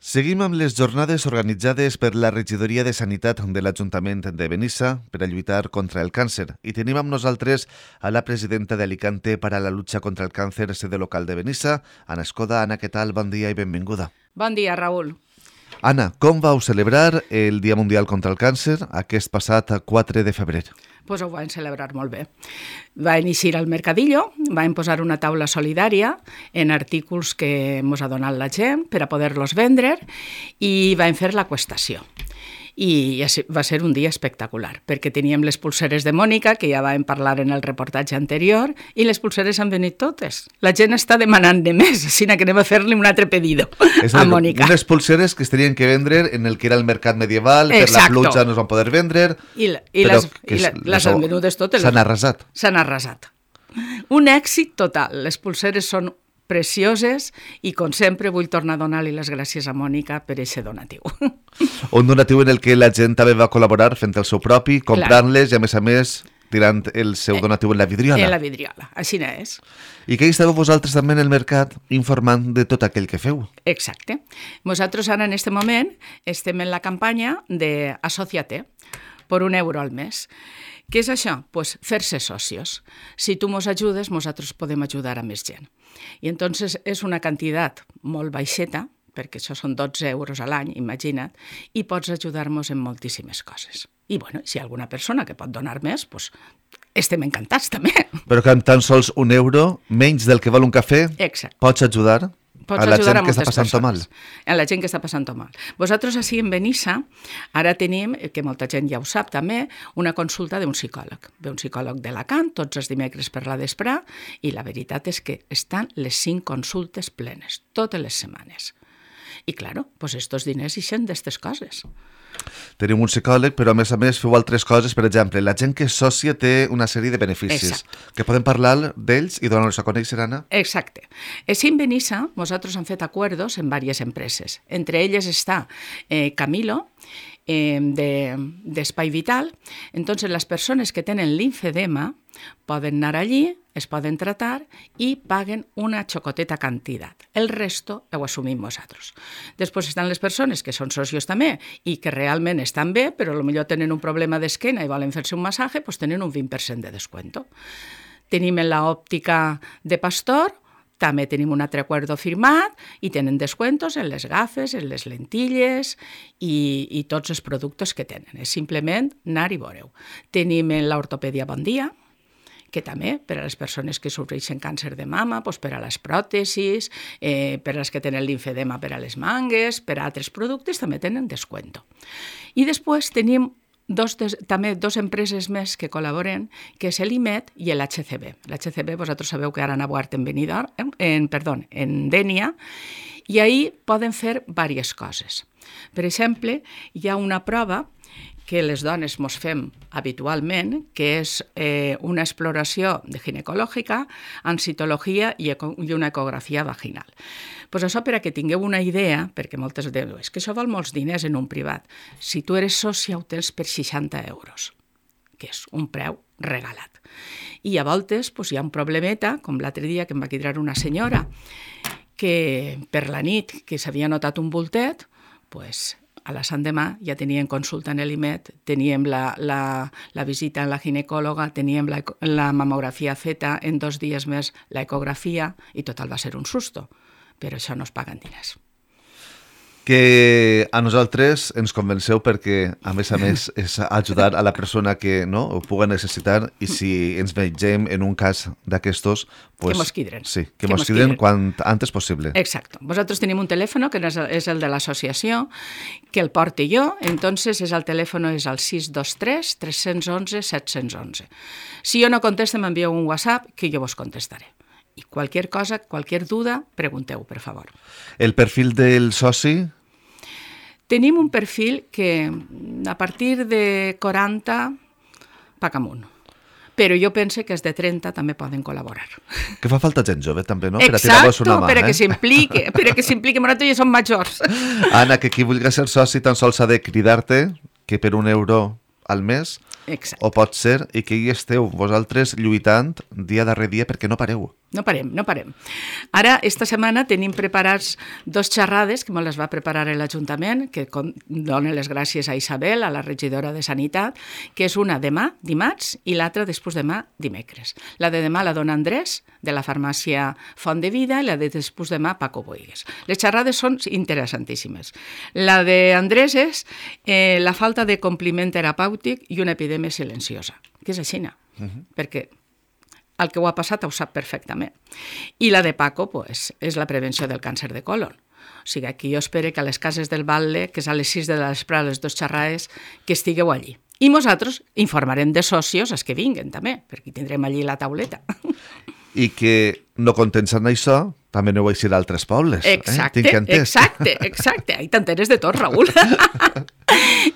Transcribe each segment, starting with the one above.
Seguim amb les jornades organitzades per la Regidoria de Sanitat de l'Ajuntament de Benissa per a lluitar contra el càncer. I tenim amb nosaltres a la presidenta de Alicante para la lucha contra el càncer, sede local de Benissa, Anna Escoda. Anna, què tal? Bon dia i benvinguda. Bon dia, Raül. Anna, com vau celebrar el Dia Mundial contra el Càncer aquest passat 4 de febrer? Pues ho vam celebrar molt bé. Va iniciar el mercadillo, vam posar una taula solidària en artículs que ens ha donat la gent per a poder-los vendre i vam fer la qüestació. I va ser un dia espectacular, perquè teníem les pulseres de Mònica, que ja vam parlar en el reportatge anterior, i les pulseres han venit totes. La gent està demanant de més, així que anem a fer-li un altre pedido a Mònica. Unes pulseres que es tenien que vendre en el que era el mercat medieval, per la pluja no es van poder vendre, les han venudes totes. S'han arrasat. S'han arrasat. Un èxit total. Les pulseres són precioses i, com sempre, vull tornar a donar-li les gràcies a Mònica per aquest donatiu. Un donatiu en el que la gent també va col·laborar fent el seu propi, comprant-les i, a més, tirant el seu donatiu en la vidriola. En la vidriola, així és. I que hi estàveu vosaltres també en el mercat informant de tot aquell que feu. Exacte. Nosaltres ara en aquest moment estem en la campanya de Asociate per €1 al mes. Què és això? Pues fer-se socios. Si tu mos ajudes, nosaltres podem ajudar a més gent. I entonces és una quantitat molt baixeta, perquè això són €12 a l'any, imagina't, i pots ajudar-nos en moltíssimes coses. I bueno, si hi ha alguna persona que pot donar més, pues estem encantats també. Però que amb tan sols €1, menys del que val un cafè, pots ajudar a la gent que està passant mal. A la gent que està passant mal. Vosaltres així en Benissa ara tenim, que molta gent ja ho sap també, una consulta d'un psicòleg. Ve un psicòleg d'Alacant tots els dimecres per la vesprà i la veritat és que estan les 5 consultes plenes, totes les setmanes. I, claro, pues estos diners ixen d'estes coses. Tenim un psicòleg, però a més feu altres coses. Per exemple, la gent que és sòcia té una sèrie de beneficis. Que podem parlar d'ells i donar-los a conèixer, Anna? Exacte. Així en Benissa, nosaltres hem fet acuerdos en diverses empreses. Entre elles està Camilo, d'Espai Vital. Entonces, les persones que tenen linfedema poden anar allí, es poden tratar i paguen una xocoteta quantitat. El resto ho assumim nosaltres. Després estan les persones que són socios també i que realment estan bé, però potser tenen un problema d'esquena i volen fer-se un massatge, doncs tenen un 20% de descuento. Tenim en l'òptica de Pastor, també tenim un altre acuerdo firmat i tenen descuentos en les gafes, en les lentilles i tots els productes que tenen. És simplement anar i veure-ho. Tenim en l'ortopèdia Bon Dia, que també per a les persones que sofreixen càncer de mama, per a les pròtesis, per a les que tenen linfedema per a les mangues, per a altres productes també tenen descuento. I després tenim també 2 empreses més que col·laboren, que és l'IMED i l'HCB. L'HCB, vosaltres sabeu que ara han obert en Dénia, i ahir poden fer diverses coses. Per exemple, hi ha una prova que les dones mos fem habitualment, que és una exploració ginecològica amb citologia i una ecografia vaginal. Pues això per a que tingueu una idea, perquè moltes diuen, és que això val molts diners en un privat. Si tu eres sòcia ho tens per €60, que és un preu regalat. I a voltes hi ha un problemeta, com l'altre dia que em va quedar una senyora, que per la nit que s'havia notat un bultet, a la Sant demà ja tenien consulta en l'IMED, teníem la visita a la ginecòloga, teníem la mamografia feta, en 2 dies més l'ecografia, i total va ser un susto. Però això no es paguen diners. Que a nosaltres ens convenceu perquè, a més, és ajudar a la persona que ho pugui necessitar i si ens vegem en un cas d'aquestos... Que mos quidren. Sí, que mos quidren quan antes possible. Exacte. Vosaltres tenim un telèfon, que és el de l'associació, que el porto jo, entonces el telèfon és el 623 311 711. Si jo no contesto, m'envieu un WhatsApp que jo vos contestaré. I qualsevol cosa, qualsevol duda, pregunteu, per favor. El perfil del soci? Tenim un perfil que a partir de 40 paga amunt. Però jo penso que els de 30 també poden col·laborar. Que fa falta gent jove, també, no? Exacte, per a que s'impliqui, nosaltres ja som majors. Anna, que qui vulgui ser soci tan sols ha de cridar-te, que per €1 al mes Exacte. O pot ser i que hi esteu vosaltres lluitant dia darrere dia perquè no pareu. No parem. Ara, esta setmana tenim preparats 2 xerrades que me les va preparar l'Ajuntament, que donen les gràcies a Isabel, a la regidora de Sanitat, que és una demà, dimarts, i l'altra després demà, dimecres. La de demà la dona Andrés, de la farmàcia Font de Vida, i la de després demà, Paco Boigues. Les xerrades són interessantíssimes. La de Andrés és la falta de compliment terapèutic i una epidèmia silenciosa, que és així, perquè el que ho ha passat ho sap perfectament. I la de Paco pues, és la prevenció del càncer de colon. O sigui, aquí jo espero que a les cases del Batlle, que és a les 6 de la vespre, les 2 xerrades, que estigueu allí. I nosaltres informarem de socios els que vinguen també, perquè tindrem allí la tauleta. I que no contents en això, també aneu a eixir a altres pobles. Exacte, Tinc entès. exacte. Ahí t'enteres de tot, Raül.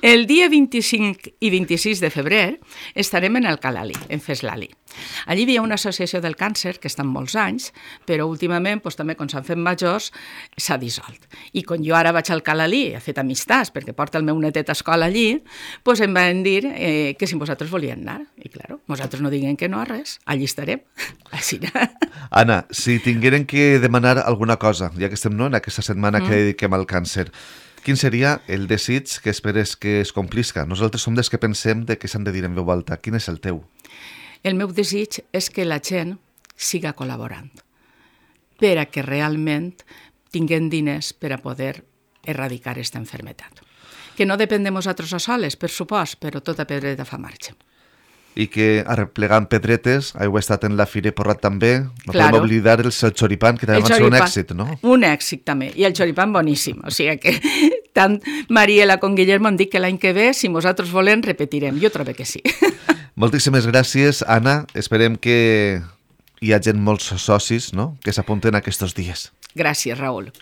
El dia 25 i 26 de febrer estarem en el Calalí, en Feslali. Allí hi havia una associació del càncer que estan molts anys, però últimament també quan s'han fet majors s'ha dissolt. I quan jo ara vaig al Calalí, he fet amistats perquè porta el meu netet a escola allí, em van dir que si vosaltres volien anar. I clar, vosaltres no diguem que no a res, allí estarem. Així. Anna, si tingueren que demanar alguna cosa, ja que estem en aquesta setmana que dediquem al càncer, quin seria el desig que esperes que es complisca? Nosaltres som dels que pensem de què s'han de dir en veu alta. Quin és el teu? El meu desig és que la gent siga col·laborant per a que realment tinguem diners per a poder erradicar aquesta malaltia. Que no depèn de nosaltres a soles, per supost, però tota pedreta fa marxa. I que arreplegant pedretes heu estat en la Fira Porrat també. No Claro. podem oblidar el xoripan, que també va ser un èxit, no? Un èxit també, i el xoripan boníssim. O sigui que tant Mariela com Guillermo han dit que l'any que ve, si nosaltres volem, repetirem. Jo trobo que sí. Moltíssimes gràcies, Anna. Esperem que hi hagi molts socis, no?, que s'apunten aquests dies. Gràcies, Raül.